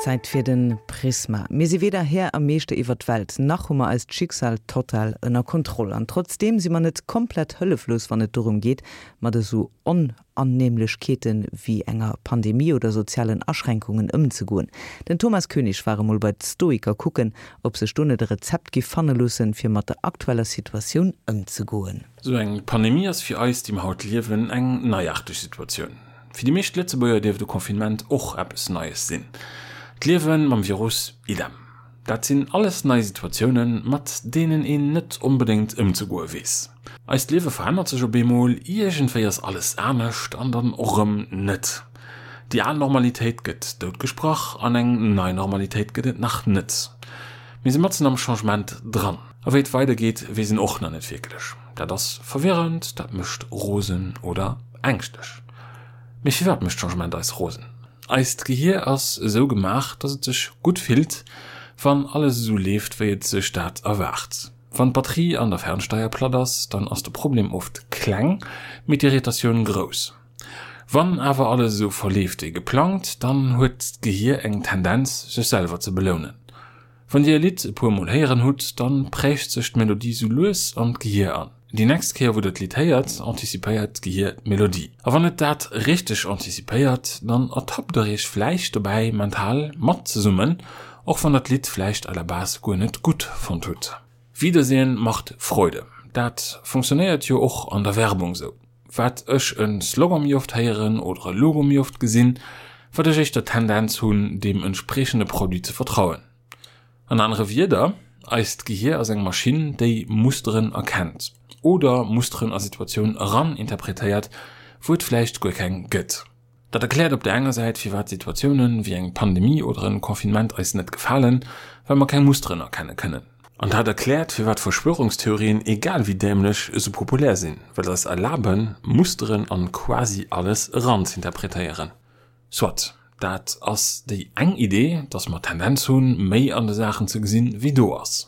Zäit fir de Prisma. Mir si weder Här a Meeschter iwwer d'Welt, nach hu mer eist Schicksal total ënner Kontroll. An trotzdeem si mer net komplett hëlleflos, wann et dorëm geet, mat esou Onannehmlechkeete wéi enger Pandemie oder sozialen Aschränkungen ëmzegoen. Den Thomas Koenig war emol bei d'Stoiker kucken, ob sech do net e Rezept giff fanne loossen, fir mat der aktueller Situatioun ëmzegoen. Esou eng Pandemie ass fir eis, déi mer haut liewen, eng neiarteg Situatioun. Fir déi meescht Lëtzebuerger dierft e Confinement och eppes Neies sinn. D'Liewe mam Virus, idem. Dat sinn alles nei Situatiounen, mat deenen een net onbedéngt ëmzegoe weess. Eist Liewe verännert sech op eemol, iergendwéi ass alles anescht an dann och erëm net. Déi al Normalitéit gëtt doutgesprach an eng nei Normalitéit gëtt et nach net. Mir si matzen am Changement dran. A wéi et weidergeet, weess een och nach net wierklech. Dat ass verwirrend, dat mécht rosen oder ängschtlech. Mee firwat mécht Changement eis rosen? Eist Gehier ass esou gemaach, dass et sech gutt fillt, wann alles esou leeft, wéi et sech dat erwaart. Wann d'Batterie an der Fernsteier platt ass, dann ass de Problem oft kleng, mee d'Irritatioun grouss. Wann awer alles esou verleeft wéi geplangt, dann huet d'Gehier eng Tendenz, sech selwer ze belounen. Wann dir e Lidd e puer mol héieren hutt, dann prägt sech d'Melodie sou lues an d'Gehier an. Déi nächst Kéier wou der d'Lidd héiert, anticipéiert d'Gehier d'Melodie. A wann et dat richteg anticipéiert, dann ertappt der iech vläicht dobäi mental mat ze summen, och wann der d'Lidd vläicht à la base guer net gutt fonnt hutt. Wiedersehen macht Freude, dat funktionéiert jo och an der Werbung sou. Wat ech e Slogan méi oft héieren oder e Logo méi oft gesinn, wat ech éischter d'Tendenz hunn, deem entspriechende Produit ze vertrauen. An anere Wierder, eist Gehier ass eng Maschinn, déi Musteren erkennt oder Musteren a Situatioun eran interpretéiert, wou et vläicht guer keng gëtt. Dat erkläert op der enger Säit, firwat Situatiounen wéi eng Pandemie oder en Confinement eis net gefalen, well mer keng Musteren erkenne kënnen. An dat erkläert, firwat Verschwörungstheorien, egal wéi dämlech, esou populär sinn, well se eis erlaben, Musteren an quasi alles eranzeinterpretéieren. Soit, dat ass déi eng Idee, dass mer d'Tendenz hunn, méi an de Saachen ze gesinn, wéi do ass.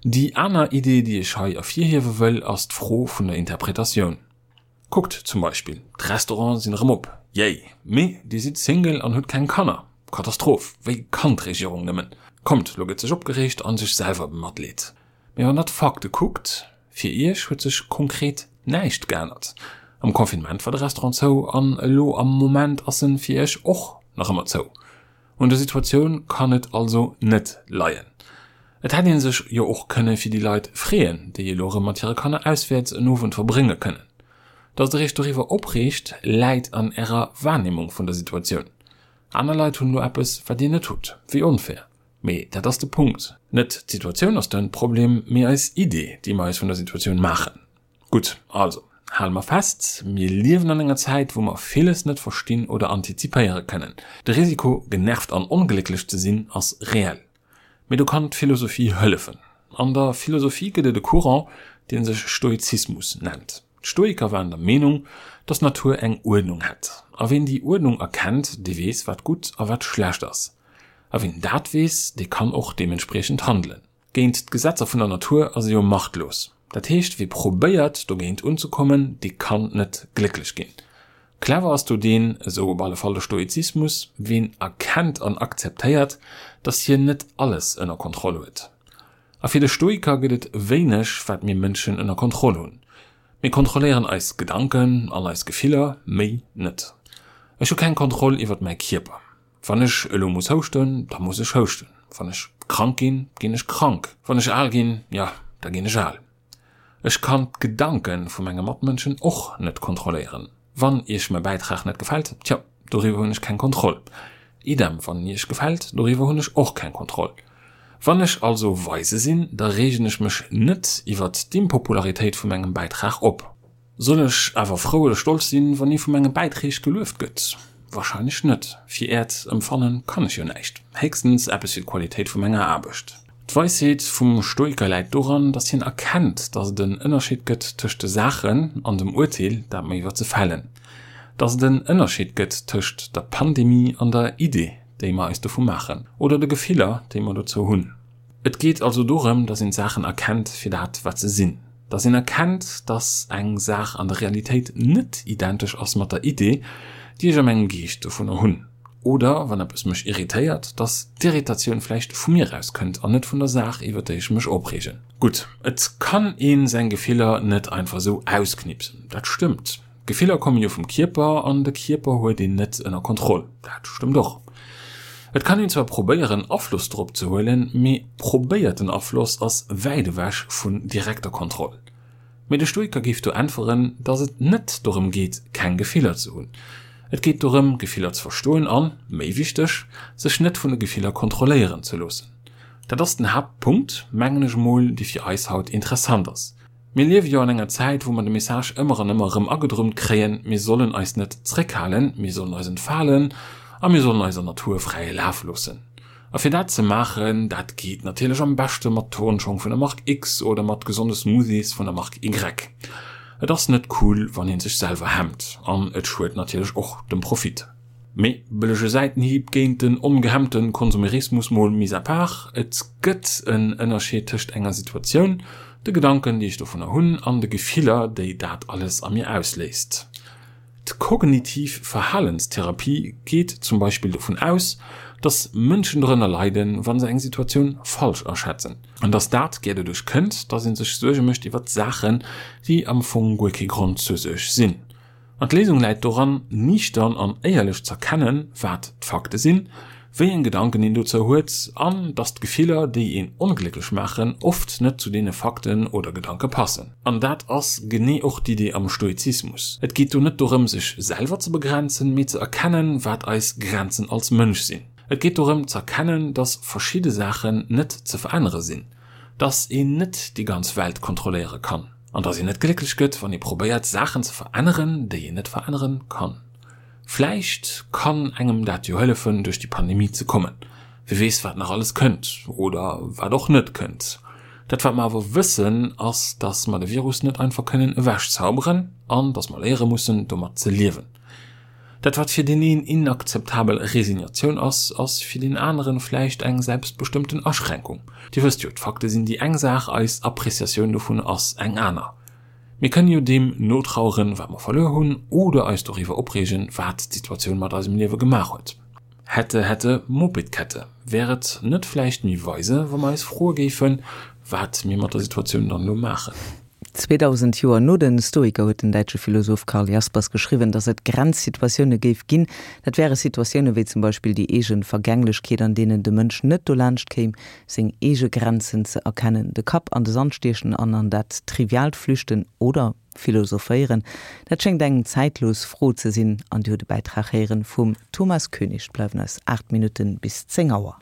Déi aner Idee, déi ech hei ervirhiewe wëll, ass d'Fro vun der Interpretatioun. Kuckt zum Beispill, d'Restaurante sinn erëm op, yay! Mee dir sidd Single an hutt keng Kanner, Katastroph, wéi kann d'Regierung nëmmen? Kommt, lo gëtt sech opgereegt an sech selwer bematleet. Mee wann der d'Fakte kuckt, fir iech huet sech konkret näischt geännert. Am Confinement war de Restaurant zou an elo am Moment ass en fir iech och nach ëmmer zou. Un der Situatioun kann et also net leien. Et hätt ee sech jo och kënne fir déi Leit freeën, déi elo erëm mat hire Kanner auswäerts en Owend verbrénge kënnen. Datt der iech doriwwer opreegt, läit an ärer Wahrnehmung vun der Situatioun. Aner Leit hunn elo eppes, wat dir net hutt. Wéi onfair. Mee dat ass de Punkt. Net d'Situatioun ass de Problem, mee eis Idee, déi mer eis vun der Situatioun maachen. Gutt, also hale mer fest, Mir liewen an enger Zäit, wou mer villes net verstinn oder antizipéiere kënnen. De Risiko, genervt an onglécklech ze sinn, ass reell. Mee do kann d'Philosophie hëllefen. An der Philosophie gëtt et e Courant, dee sech Stoizismus nennt. D'Stoiker waren der Meenung, datt d'Natur eng Uerdnung hätt. A ween déi Uerdnung erkennt, dee weess, wat gutt a wat schlecht ass. A ween dat weess, dee kann och deementspriechend handelen. Géint d'Gesetzer vun der Natur ass e jo machtlos. Dat heescht, wie probéiert, dogéint unzekommen, dee kann net glécklech ginn. Clever ass do deen, esou op alle Fall de Stoizismus, ween erkennt an akzeptéiert, dass hien net alles ënner Kontroll huet. A fir de Stoiker gëtt et wéineg, wat mir Mënschen ënner Kontroll hunn. Mir kontrolléieren eis Gedanken an eis Gefiller, méi net. Ech hu keng Kontroll iwwert mäi Kierper. Wann ech elo muss houschten, da muss ech houschten. Wann ech krank ginn, ginn ech krank. Wann ech al ginn, jo, da ginn ech al. Ech kann d'Gedanke vu menge Matmënschen och net kontrolléieren. Wann iech mäi Bäitrag net gefält, tjo, doriwwer hunn ech keng Kontroll. Idem, wann en iech gefält, doriwwer hunn ech och keng Kontroll. Wann ech also weise sinn, da reegen ech mech net iwwert d'Impopularitéit vu mengem Bäitrag op. Soll ech awer frou oder stolz sinn, wann ee vu menge Bäitreeg gelueft gëtt? Wahrscheinlech net. Fir äert Empfannen kann ech jo näischt, héchstens eppes fir d'Qualitéit vu menger Aarbecht. D'Weisheet vum Stoiker läit doran, datt hien erkennt, datt et en Ënnerscheed gëtt tëscht de Saachen an dem Urteel, dat mer iwwer se fällen. Datt et en Ënnerscheed gëtt tëscht der Pandemie an der Idee, déi mer eis dovu maachen, oder de Gefiller, déi mer dozou hunn. Et geet also dorëm, datt een d'Saachen erkennt fir dat, wat se sinn. Datt een erkennt, datt eng Saach an der Realitéit net identesch ass mat der Idee, déi ech a mengem Geescht dovunner hunn. Oder, wann eppes mech irritéiert, dass d'Irritatioun vläicht vu mir aus kënnt an net vun der Saach, iwwer déi ech mech opreegen. Gutt, et kann ee seng Gefiller net einfach esou ausknipsen, dat stëmmt. Gefiller komme jo vum Kierper an de Kierper huet een net ënner Kontroll, dat stëmmt och. Et kann een zwar probéieren Afloss drop ze huelen, mee probéierten Afloss ass wäit ewech vun direkter Kontroll. Mee de Stoiker géif do äntweren, dass et net dorëm geet keng Gefiller ze hunn. Et geet dorëm Gefiller ze verstoen an, méi wichteg, sech net vun de Gefiller kontrolléieren ze loossen. Dat ass den Haaptpunkt, mengen ech emol, dee fir eis haut interessant ass. Mir liewe jo an enger Zäit, wou mer de Message ëmmer an ëmmer erëm agedrummt kréien, mir sollen eis net zréckhalen, mir sollen eis entfalen a mir sollen eiser Natur fräie Laf loossen. A fir dat ze maachen, dat geet natierlech am beschte mat Turnschong vun der Mark X oder mat gesonde Smoothies vun der Mark Y. Et ass net cool, wann ee sech selwer hemmt an et schued natierlech och dem Profit. Mee, bëllege Säitenhieb géint den ongehemmte Konsumerismus mol mis à part, et gëtt en Ënnerscheed tëscht enger Situatioun, de Gedanken déi ech dovunner hunn an de Gefiller déi dat alles a mir ausléist. D'kognitiv Verhalenstherapie geet zum Beispill dovun aus, dass Mënschen dorënner leiden, wa se eng Situatioun falsch aschätzen. An dass dat gär doduerch kënnt, dass ee sech Suerge mécht iwwert Saachen, déi am Fong guer kee Grond zur Suerg sinn. An d'Léisung läit doran, niichtern an éierlech z'erkennen, wat d'Fakte sinn, wéi eng Gedanken een dozou huet, an dass d'Gefiller, déi een onglécklech maachen, oft net zu deene Fakten oder Gedanke passen. An dat ass genee och d'Idee am Stoizismus. Et geet do net dorëm, sech selwer ze begrenzen, mee ze erkennen, wat eis Grenzen als Mënsch sinn. Et geet dorëm z'erkennen, dass verschidde Saachen net ze verännere sinn, dass een net déi ganz Welt kontrolléiere kann. An dass een net glécklech gëtt, wann ee probéiert, Saachen ze veränneren, déi een net veränneren kann. Vläicht kann engem dat jo hëllefen, duerch déi Pandemie ze kommen. Wie weess, wat nach alles kënnt oder wat och net kënnt. Dat, wat mer awer wëssen, ass, dass mer de Virus net einfach kënnen ewechzauberen an dass mer léiere mussen, domat ze liewen. Dat wat fir deen een inakzeptabel Resignatioun ass, ass fir deen aneren vläicht eng selbstbestëmmten Aschränkung. Dir wësst jo, d'Fakte sinn déi eng Saach, eis Appreciatioun dovun ass eng aner. Mir kënnen jo deem notraueren, wat mer verluer hunn, oder eis doriwwer opreegen, wat d'Situatioun mat eisem Liewe gemaach huet. Hätte, hätte, Mopedkette. Wär et net vläicht méi weise, wa mer eis froe géifen, wat mir mat der Situatioun dann elo maachen? 2000 Joer no den Stoiker huet den däitsche Philosoph Karl Jaspers geschriwwen, datt et Grenzsituatioune géif ginn. Dat wäre Situatioune wéi zum Beispill déi eege Vergänglechkeet, an deenen de Mënsch net dolaanscht kéim, seng eege Grenzen ze erkennen. De Kapp an de Sand stiechen an an dat Triviaalt flüchten oder philosophéieren, dat schéngt eng zäitlos Fro ze sinn. An Dir hutt e Bäitrag héieren vum Thomas Koenig. Et bleiwen eis 8 Minutten bis 10 Auer.